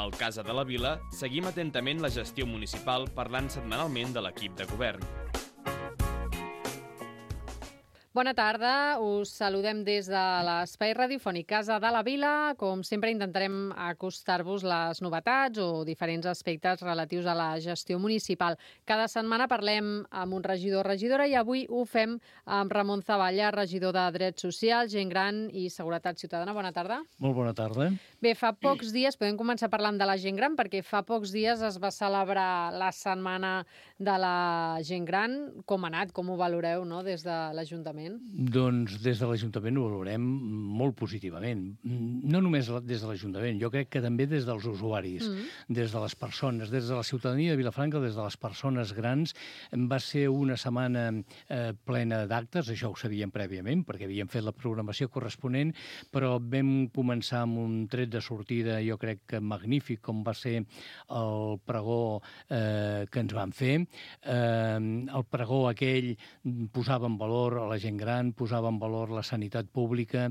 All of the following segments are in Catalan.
Al Casa de la Vila seguim atentament la gestió municipal parlant setmanalment de l'equip de govern. Bona tarda, us saludem des de l'espai radiofònic Casa de la Vila. Com sempre intentarem acostar-vos les novetats o diferents aspectes relatius a la gestió municipal. Cada setmana parlem amb un regidor o regidora i avui ho fem amb Ramon Zavalla, regidor de Drets Socials, Gent Gran i Seguretat Ciutadana. Bona tarda. Molt bona tarda. Bé, fa pocs dies, podem començar parlant de la gent gran, perquè fa pocs dies es va celebrar la setmana de la gent gran. Com ha anat? Com ho valoreu, no?, des de l'Ajuntament? Doncs des de l'Ajuntament ho valorem molt positivament. No només des de l'Ajuntament, jo crec que també des dels usuaris, des de les persones, des de la ciutadania de Vilafranca, des de les persones grans. Va ser una setmana plena d'actes, això ho sabíem prèviament, perquè havíem fet la programació corresponent, però vam començar amb un tret de sortida, jo crec que magnífic, com va ser el pregó que ens van fer. El pregó aquell posava en valor a la gent gran, posava en valor la sanitat pública,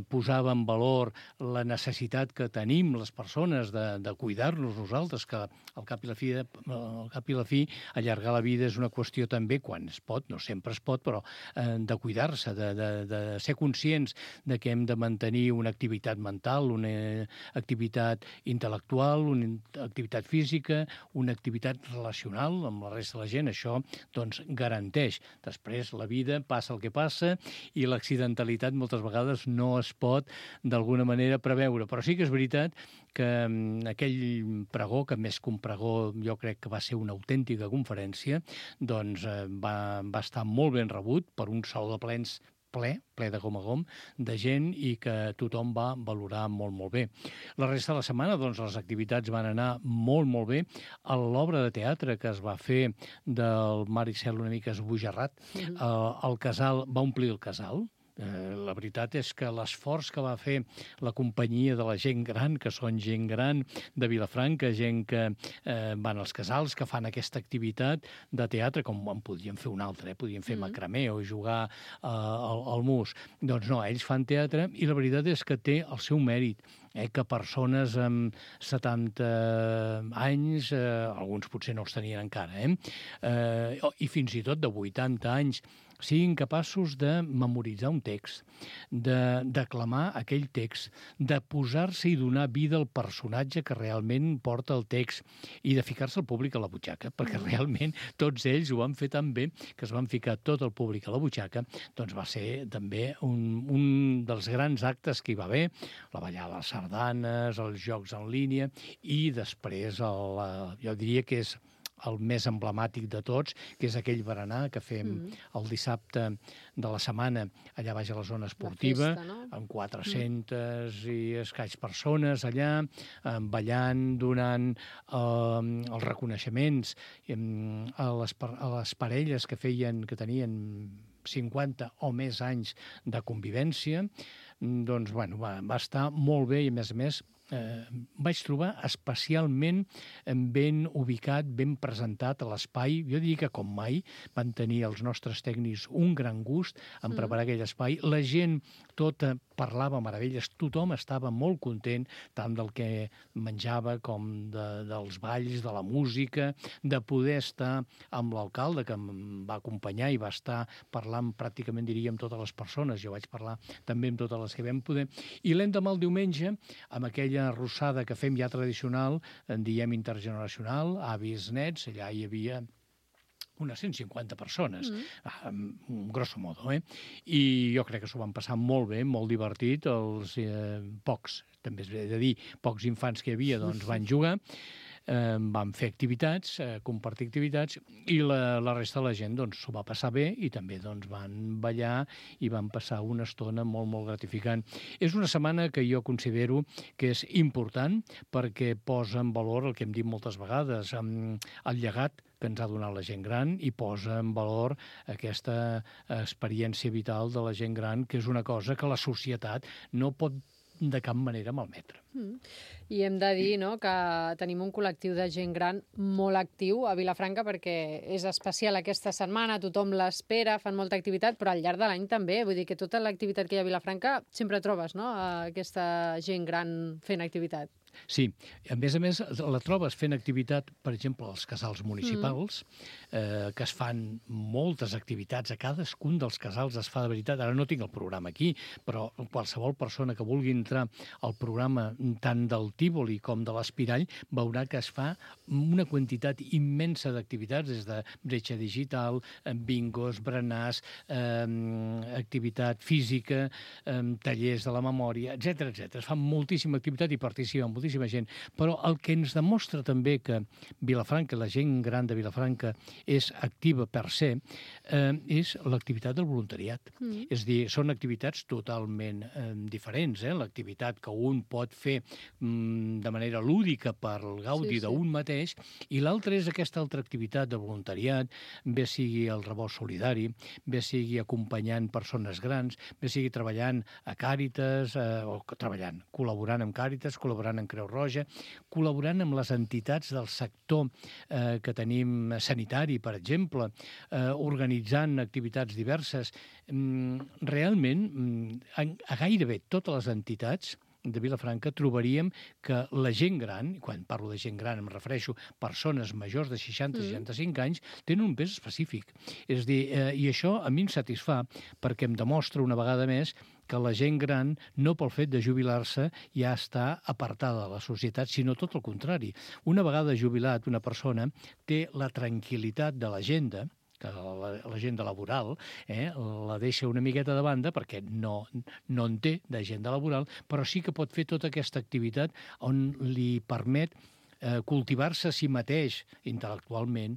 posava en valor la necessitat que tenim les persones de cuidar-nos nosaltres, que al cap i la fi allargar la vida és una qüestió també, quan es pot, no sempre es pot, però de cuidar-se, de ser conscients de que hem de mantenir una activitat mental, una activitat intel·lectual, una activitat física, una activitat relacional amb la resta de la gent. Això doncs garanteix. Després la vida passa el que passa i l'accidentalitat moltes vegades no es pot d'alguna manera preveure. Però sí que és veritat que aquell pregó, que més que un pregó jo crec que va ser una autèntica conferència, doncs va estar molt ben rebut per un saló de plens ple de gom a gom, de gent, i que tothom va valorar molt, molt bé. La resta de la setmana, doncs, les activitats van anar molt, molt bé. L'obra de teatre que es va fer del Maricel una mica esbojarrat, el casal va omplir el casal. La veritat és que l'esforç que va fer la companyia de la gent gran, que són gent gran de Vilafranca, gent que van als casals, que fan aquesta activitat de teatre, com en podien fer un altre, podien fer macramé o jugar al mus. Doncs no, ells fan teatre i la veritat és que té el seu mèrit, que persones amb 70 anys, alguns potser no els tenien encara, i fins i tot de 80 anys, siguin capaços de memoritzar un text, de declamar aquell text, de posar-se i donar vida al personatge que realment porta el text i de ficar-se el públic a la butxaca, perquè realment tots ells ho van fer tan bé que es van ficar tot el públic a la butxaca. Doncs va ser també un dels grans actes que hi va haver, la ballada de les sardanes, els jocs en línia i després jo diria que és el més emblemàtic de tots, que és aquell berenar que fem el dissabte de la setmana allà baix a la zona esportiva, festa, no? Amb 400 i escaig persones allà, ballant, donant els reconeixements a les parelles que tenien 50 o més anys de convivència. Doncs, bueno, va estar molt bé i, a més, vaig trobar especialment ben ubicat, ben presentat a l'espai. Jo diria que com mai van tenir els nostres tècnics un gran gust en preparar aquell espai. La gent tota parlava meravelles, tothom estava molt content, tant del que menjava com dels balls, de la música, de poder estar amb l'alcalde, que em va acompanyar i va estar parlant pràcticament, diria, amb totes les persones. Jo vaig parlar també amb totes les que vam poder. I l'endemà, el diumenge, amb aquella arrossada que fem ja tradicional, en diem intergeneracional, avis, nets, allà hi havia unes 150 persones, grosso modo, I jo crec que s'ho van passar molt bé, molt divertit. Els pocs, també és bé de dir, pocs infants que hi havia, doncs van jugar, vam fer activitats, compartir activitats, i la resta de la gent doncs s'ho va passar bé i també doncs van ballar i van passar una estona molt, molt gratificant. És una setmana que jo considero que és important perquè posa en valor el que hem dit moltes vegades, el llegat que ens ha donat la gent gran, i posa en valor aquesta experiència vital de la gent gran, que és una cosa que la societat no pot de cap manera malmetre. I hem de dir, no, que tenim un col·lectiu de gent gran molt actiu a Vilafranca perquè és especial aquesta setmana, tothom l'espera, fan molta activitat, però al llarg de l'any també. Vull dir que tota l'activitat que hi ha a Vilafranca sempre trobes, no?, aquesta gent gran fent activitat. Sí, a més, la trobes fent activitat, per exemple, als casals municipals, que es fan moltes activitats, a cadascun dels casals es fa de veritat. Ara no tinc el programa aquí, però qualsevol persona que vulgui entrar al programa tant del Tívoli com de l'Espirall veurà que es fa una quantitat immensa d'activitats, des de bretxa digital, bingos, berenars, activitat física, tallers de la memòria, etc. Es fa moltíssima activitat i participa moltíssima gent, però el que ens demostra també que Vilafranca, la gent gran de Vilafranca, és activa per se, és l'activitat del voluntariat. És a dir, són activitats totalment diferents. L'activitat que un pot fer de manera lúdica per gaudi d'un mateix, i l'altra és aquesta altra activitat de voluntariat, bé sigui el rebost solidari, bé sigui acompanyant persones grans, bé sigui treballant a Càritas, col·laborant amb Càritas, col·laborant amb Creu Roja, col·laborant amb les entitats del sector que tenim sanitari, per exemple, organitzant activitats diverses. Realment, a gairebé totes les entitats de Vilafranca trobaríem que la gent gran, quan parlo de gent gran em refereixo a persones majors de 60-65 anys, tenen un pes específic. És a dir, i això a mi em satisfà perquè em demostra una vegada més que la gent gran, no pel fet de jubilar-se, ja està apartada de la societat, sinó tot el contrari. Una vegada jubilat, una persona té la tranquil·litat de l'agenda, que l'agenda laboral la deixa una miqueta de banda perquè no en té d'agenda laboral, però sí que pot fer tota aquesta activitat on li permet cultivar-se a si mateix intel·lectualment,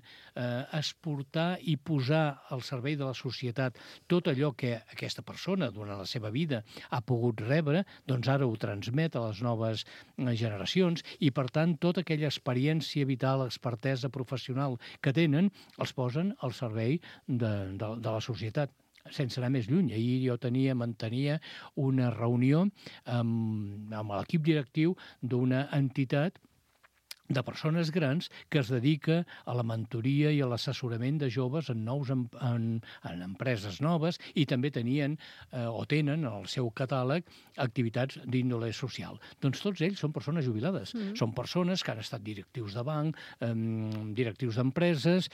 exportar i posar al servei de la societat tot allò que aquesta persona durant la seva vida ha pogut rebre, doncs ara ho transmet a les noves generacions i, per tant, tota aquella experiència vital, expertesa professional que tenen, els posen al servei de la societat. Sense anar més lluny. Ahir jo mantenia una reunió amb l'equip directiu d'una entitat de persones grans que es dedica a la mentoria i a l'assessorament de joves en empreses noves, i també tenien o tenen en el seu catàleg activitats d'índole social. Doncs tots ells són persones jubilades. Són persones que han estat directius de banc, directius d'empreses,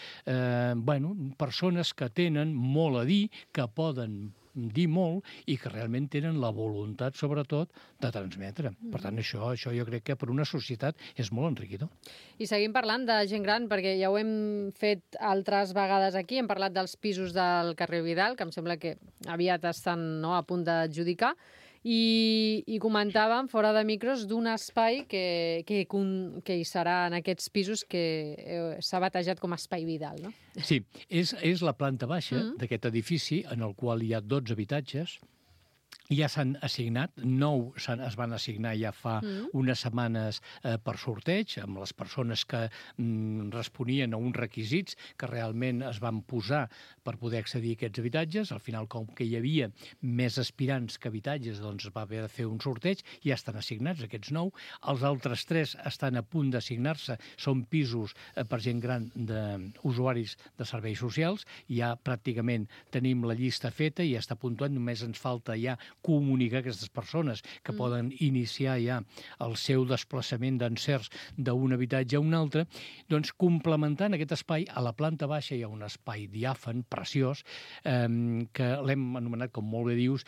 persones que tenen molt a dir, que poden dir molt i que realment tenen la voluntat, sobretot, de transmetre. Per tant, això jo crec que per una societat és molt enriquidor. I seguim parlant de gent gran, perquè ja ho hem fet altres vegades aquí, hem parlat dels pisos del carrer Vidal, que em sembla que aviat estan a punt d'adjudicar, i comentàvem fora de micros d'un espai que hi serà en aquests pisos que s'ha batejat com a Espai Vidal, no? Sí, és la planta baixa d'aquest edifici en el qual hi ha 12 habitatges. Ja s'han assignat, 9 es van assignar ja fa unes setmanes per sorteig, amb les persones que responien a uns requisits que realment es van posar per poder accedir a aquests habitatges. Al final, com que hi havia més aspirants que habitatges, doncs es va haver de fer un sorteig, ja estan assignats aquests 9. Els altres 3 estan a punt d'assignar-se, són pisos per gent gran d'usuaris de serveis socials. Ja pràcticament tenim la llista feta i ja està puntuat, només ens falta ja comunicar a aquestes persones que poden iniciar ja el seu desplaçament d'encerts d'un habitatge a un altre. Doncs complementant aquest espai, a la planta baixa hi ha un espai diàfan, preciós, que l'hem anomenat, com molt bé dius,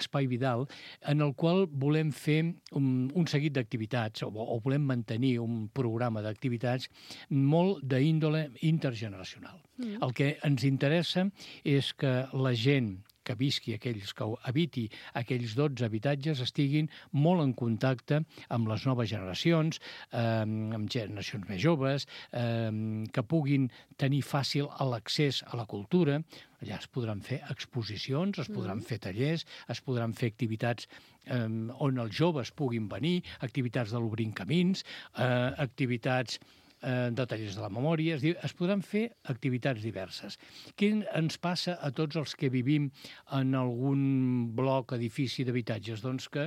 Espai Vidal, en el qual volem fer un seguit d'activitats, o volem mantenir un programa d'activitats molt d'índole intergeneracional. El que ens interessa és que la gent que visqui, aquells que habiti aquells 12 habitatges, estiguin molt en contacte amb les noves generacions, amb generacions més joves, que puguin tenir fàcil l'accés a la cultura. Allà es podran fer exposicions, es podran fer tallers, es podran fer activitats on els joves puguin venir, activitats de l'Obrint Camins, activitats de tallers de la memòria, és a dir, es podran fer activitats diverses. Què ens passa a tots els que vivim en algun bloc, edifici d'habitatges? Doncs que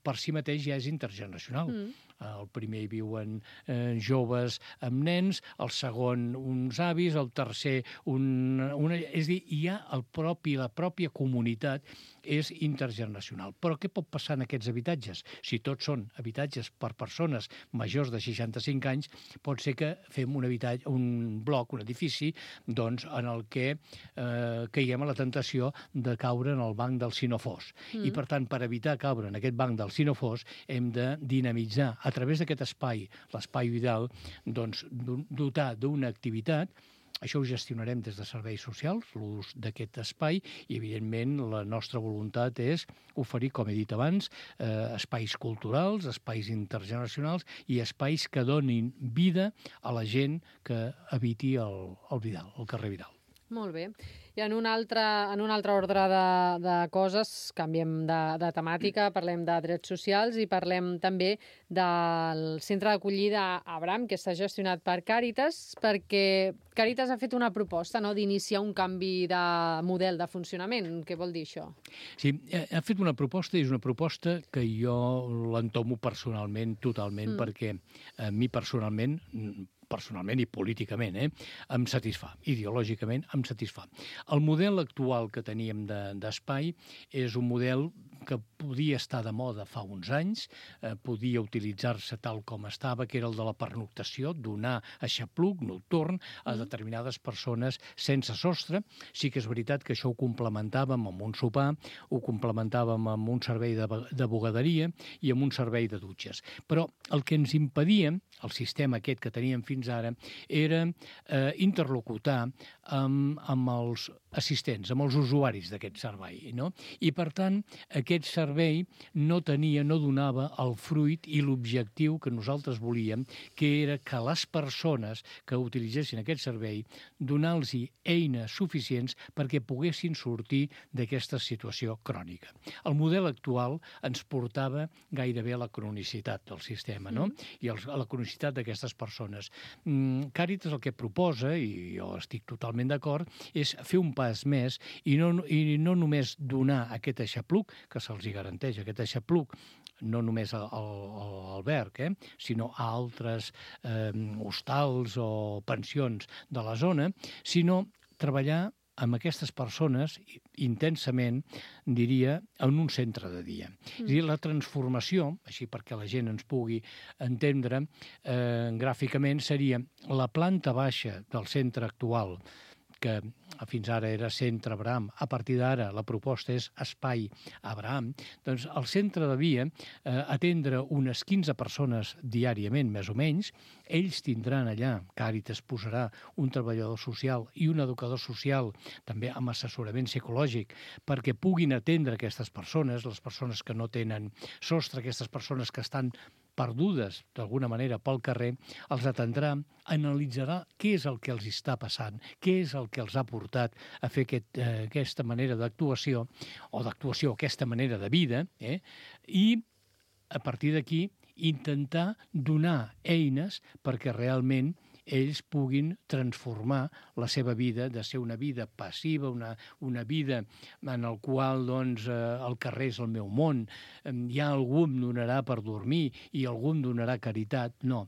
per si mateix ja és intergeneracional. El primer hi viuen joves amb nens, el segon uns avis, el tercer és a dir, la pròpia comunitat és intergeneracional. Però què pot passar en aquests habitatges? Si tots són habitatges per persones majors de 65 anys, pot ser que fem un bloc, un edifici, doncs, en el que caiguem a la tentació de caure en el banc del si no fos. I, per tant, per evitar caure en aquest banc del si no fos, hem de dinamitzar, a través d'aquest espai, l'espai vital, doncs, dotar d'una activitat. Això ho gestionarem des de serveis socials, l'ús d'aquest espai, i, evidentment, la nostra voluntat és oferir, com he dit abans, espais culturals, espais intergeneracionals i espais que donin vida a la gent que habiti el Vidal, el carrer Vidal. Molt bé. I en un altre ordre de coses, canviem de temàtica, parlem de drets socials i parlem també del centre d'acollida Abraham, que està gestionat per Càritas, perquè Càritas ha fet una proposta, no?, d'iniciar un canvi de model de funcionament. Què vol dir això? Sí, ha fet una proposta i és una proposta que jo l'entomo personalment, totalment, perquè a mi personalment i políticament, em satisfà. Ideològicament em satisfà. El model actual que teníem d'espai és un model que podia estar de moda fa uns anys, podia utilitzar-se tal com estava, que era el de la pernoctació, donar aixapluc nocturn a determinades persones sense sostre. Sí que és veritat que això ho complementàvem amb un sopar, ho complementàvem amb un servei de bugaderia i amb un servei de dutxes. Però el que ens impedia, el sistema aquest que teníem fins ara, era interlocutar amb els assistents, amb els usuaris d'aquest servei, no? I, per tant, aquest servei no donava el fruit i l'objectiu que nosaltres volíem, que era que les persones que utilitzessin aquest servei donar-los eines suficients perquè poguessin sortir d'aquesta situació crònica. El model actual ens portava gairebé a la cronicitat del sistema, no? I a la cronicitat d'aquestes persones. Càritas el que proposa, i jo estic totalment d'acord, és fer un pas més i no només donar aquest aixapluc, que se'ls garanteix aquest aixapluc, no només a l'alberg, sinó a altres hostals o pensions de la zona, sinó treballar amb aquestes persones intensament, diria, en un centre de dia. És a dir, la transformació, així perquè la gent ens pugui entendre, gràficament seria la planta baixa del centre actual, que fins ara era Centre Abraham, a partir d'ara la proposta és Espai Abraham, doncs el centre devia atendre unes 15 persones diàriament, més o menys. Ells tindran allà, Càritas posarà un treballador social i un educador social, també amb assessorament psicològic, perquè puguin atendre aquestes persones, les persones que no tenen sostre, aquestes persones que estan perdudes, d'alguna manera, pel carrer, els atendrà, analitzarà què és el que els està passant, què és el que els ha portat a fer aquesta manera d'actuació, aquesta manera de vida, i a partir d'aquí intentar donar eines perquè realment ells puguin transformar la seva vida de ser una vida passiva, una vida en la qual el carrer és el meu món, ja algú em donarà per dormir i algú em donarà caritat. No,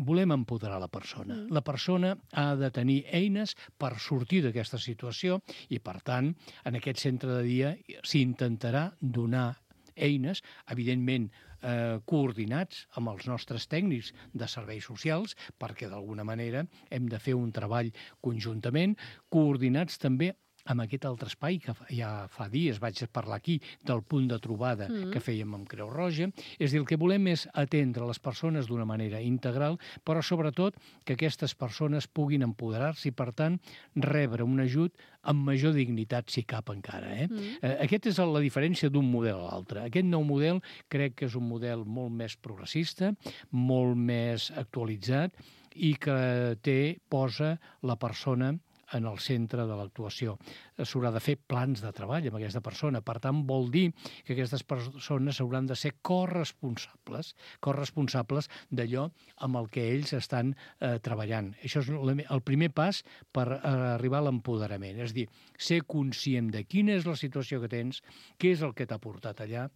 volem empoderar la persona. La persona ha de tenir eines per sortir d'aquesta situació i, per tant, en aquest centre de dia s'intentarà donar eines, evidentment coordinats amb els nostres tècnics de serveis socials, perquè d'alguna manera hem de fer un treball conjuntament, coordinats també amb aquest altre espai que ja fa dies vaig parlar aquí del punt de trobada que fèiem amb Creu Roja. És a dir, el que volem és atendre les persones d'una manera integral, però sobretot que aquestes persones puguin empoderar-se i, per tant, rebre un ajut amb major dignitat, si cap encara. Aquesta és la diferència d'un model a l'altre. Aquest nou model crec que és un model molt més progressista, molt més actualitzat i que posa la persona en el centre de l'actuació. S'haurà de fer plans de treball amb aquesta persona. Per tant, vol dir que aquestes persones hauran de ser corresponsables d'allò amb el que ells estan treballant. Això és el primer pas per arribar a l'empoderament. És a dir, ser conscient de quina és la situació que tens, què és el que t'ha portat allà,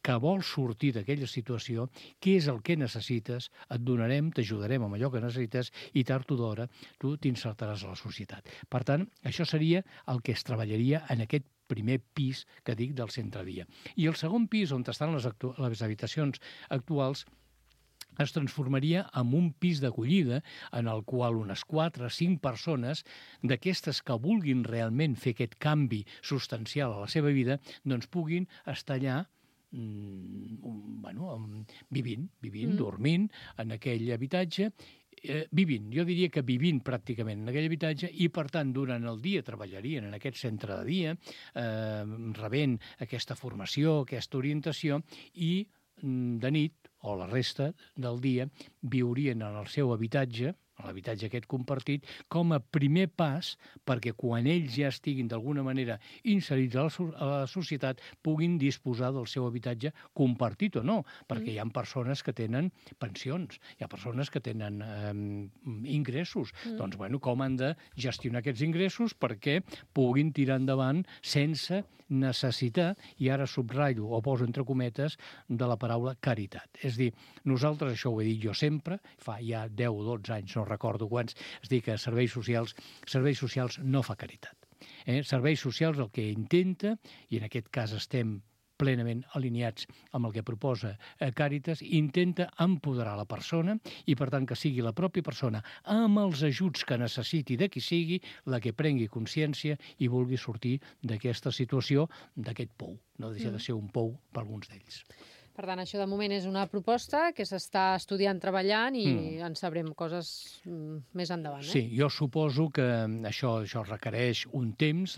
que vol sortir d'aquella situació, què és el que necessites, et donarem, t'ajudarem amb allò que necessites i tard o d'hora tu t'insertaràs a la societat. Per tant, això seria el que es treballaria en aquest primer pis que dic del centre dia. I el segon pis, on estan les habitacions actuals, es transformaria en un pis d'acollida en el qual unes 4 o 5 persones d'aquestes que vulguin realment fer aquest canvi substancial a la seva vida, doncs puguin estar allà vivint, dormint en aquell habitatge, jo diria que vivint pràcticament en aquell habitatge i, per tant, durant el dia treballarien en aquest centre de dia, rebent aquesta formació, aquesta orientació i de nit o la resta del dia viurien en el seu habitatge, a l'habitatge aquest compartit, com a primer pas perquè quan ells ja estiguin d'alguna manera inserits a la societat puguin disposar del seu habitatge compartit o no, perquè hi ha persones que tenen pensions, hi ha persones que tenen ingressos. Doncs, com han de gestionar aquests ingressos perquè puguin tirar endavant sense necessitar, i ara subratllo o poso entre cometes, de la paraula caritat. És dir, nosaltres, això ho he dit jo sempre, fa ja 10 o 12 anys, no recordo quants, es diu que serveis socials no fa caritat. Serveis socials el que intenta, i en aquest cas estem plenament alineats amb el que proposa Càritas, intenta empoderar la persona i, per tant, que sigui la pròpia persona, amb els ajuts que necessiti de qui sigui, la que prengui consciència i vulgui sortir d'aquesta situació, d'aquest pou. No deixa de ser un pou per alguns d'ells. Per tant, això de moment és una proposta que s'està estudiant, treballant i en sabrem coses més endavant. Sí, jo suposo que això requereix un temps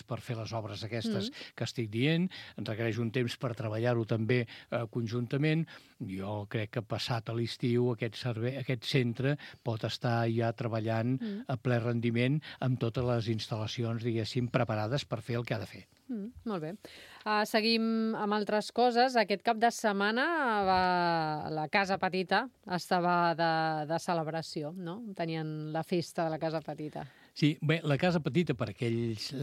per fer les obres aquestes que estic dient, requereix un temps per treballar-ho també conjuntament. Jo crec que passat a l'estiu aquest centre pot estar ja treballant a ple rendiment amb totes les instal·lacions, diguéssim, preparades per fer el que ha de fer. Molt bé. Seguim amb altres coses. Aquest cap de setmana la Casa Petita estava de celebració, no? Tenien la festa de la Casa Petita. Sí, bé, la Casa Petita, per aquells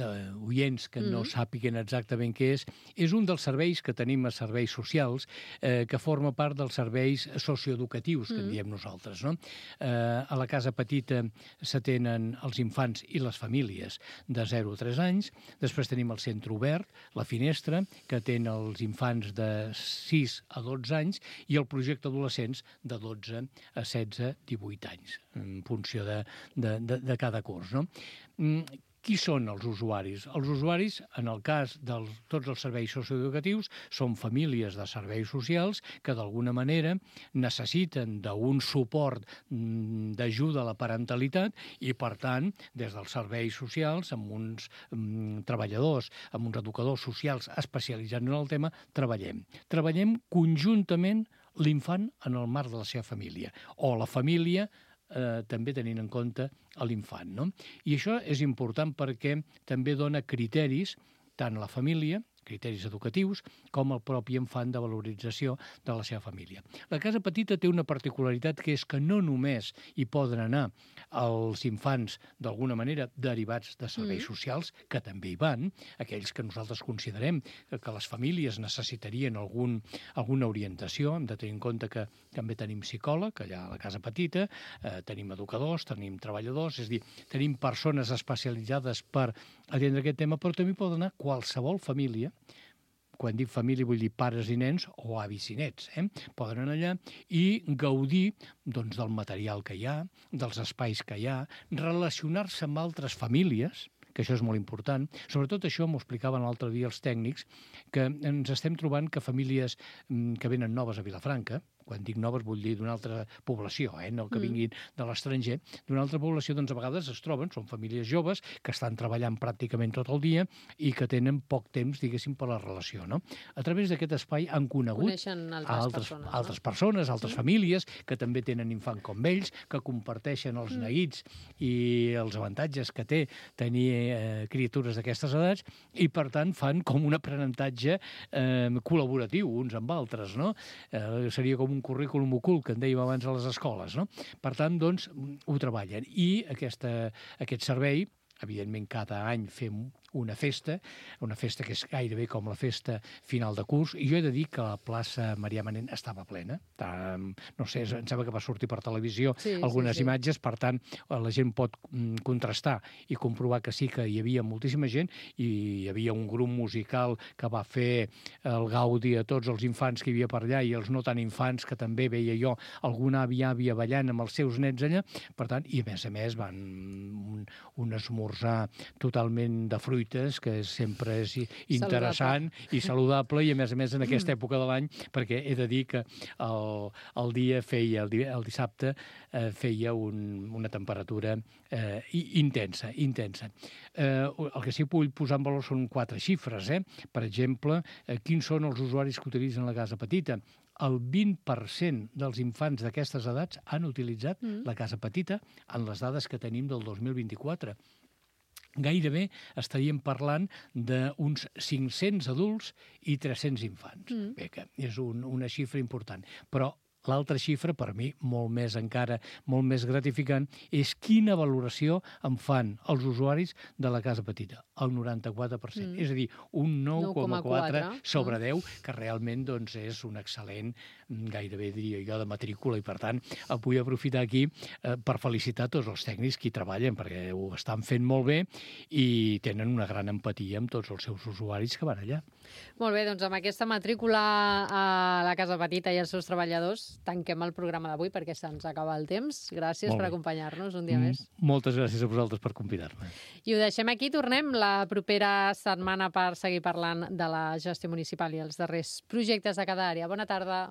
oients que no sàpiguen exactament què és un dels serveis que tenim a serveis socials, que forma part dels serveis socioeducatius, que en diem nosaltres, no? A la Casa Petita s'atenen els infants i les famílies de 0 a 3 anys, després tenim el centre obert, la finestra, que atén els infants de 6 a 12 anys, i el projecte adolescents de 12 a 16, 18 anys, en funció de cada curs, no? Qui són els usuaris? Els usuaris, en el cas de tots els serveis socioeducatius, són famílies de serveis socials que d'alguna manera necessiten d'un suport d'ajuda a la parentalitat i, per tant, des dels serveis socials, amb uns treballadors, amb uns educadors socials especialitzats en el tema, treballem conjuntament l'infant en el marc de la seva família, o la família també tenint en compte l'infant, no? I això és important perquè també dona criteris tant a la família, criteris educatius, com el propi infant de valorització de la seva família. La Casa Petita té una particularitat, que és que no només hi poden anar els infants d'alguna manera derivats de serveis socials, que també hi van, aquells que nosaltres considerem que les famílies necessitarien alguna orientació. Hem de tenir en compte que també tenim psicòleg allà a la Casa Petita, tenim educadors, tenim treballadors, és a dir, tenim persones especialitzades per atendre aquest tema, però també pot anar qualsevol família. Quan dic família vull dir pares i nens o avis i nets. Poden anar allà i gaudir del material que hi ha, dels espais que hi ha, relacionar-se amb altres famílies, que això és molt important. Sobretot això m'ho explicaven l'altre dia els tècnics, que ens estem trobant que famílies que venen noves a Vilafranca, quan dic noves vull dir d'una altra població, no que vinguin de l'estranger, d'una altra població, doncs a vegades es troben, són famílies joves que estan treballant pràcticament tot el dia i que tenen poc temps, diguéssim, per la relació, no? A través d'aquest espai han conegut altres persones, altres famílies que també tenen infant com ells, que comparteixen els neguits i els avantatges que té tenir criatures d'aquestes edats i, per tant, fan com un aprenentatge col·laboratiu uns amb altres, no? Seria com un currículum ocult, que en dèiem abans a les escoles, no? Per tant, doncs, ho treballen. I aquest servei, evidentment, cada any fem una festa que és gairebé com la festa final de curs, i jo he de dir que la plaça Marià Manent estava plena. No sé, em sembla que va sortir per televisió algunes imatges, per tant, la gent pot contrastar i comprovar que sí que hi havia moltíssima gent, i hi havia un grup musical que va fer el gaudi a tots els infants que hi havia per allà i els no tan infants, que també veia jo alguna àvia ballant amb els seus nets allà, per tant, i a més van un esmorzar totalment de fruites, que sempre és interessant i saludable, i a més en aquesta època de l'any, perquè he de dir que el dissabte feia una temperatura intensa. El que sí que vull posar en valor són 4 xifres. Per exemple, quins són els usuaris que utilitzen la casa petita? El 20% dels infants d'aquestes edats han utilitzat la casa petita en les dades que tenim del 2024. Gairebé estaríem parlant d'uns 500 adults i 300 infants. Bé, que és una xifra important. Però l'altra xifra, per mi, molt més gratificant, és quina valoració en fan els usuaris de la casa petita, el 94%. És a dir, un 9,4 sobre 10, que realment és un excel·lent, gairebé diria jo, de matrícula, i per tant vull aprofitar aquí per felicitar tots els tècnics que hi treballen, perquè ho estan fent molt bé i tenen una gran empatia amb tots els seus usuaris que van allà. Molt bé, doncs amb aquesta matrícula a la casa petita i els seus treballadors tanquem el programa d'avui perquè se'ns acaba el temps. Gràcies per acompanyar-nos un dia més. Moltes gràcies a vosaltres per convidar-me. I ho deixem aquí. Tornem la propera setmana per seguir parlant de la gestió municipal i els darrers projectes de cada àrea. Bona tarda.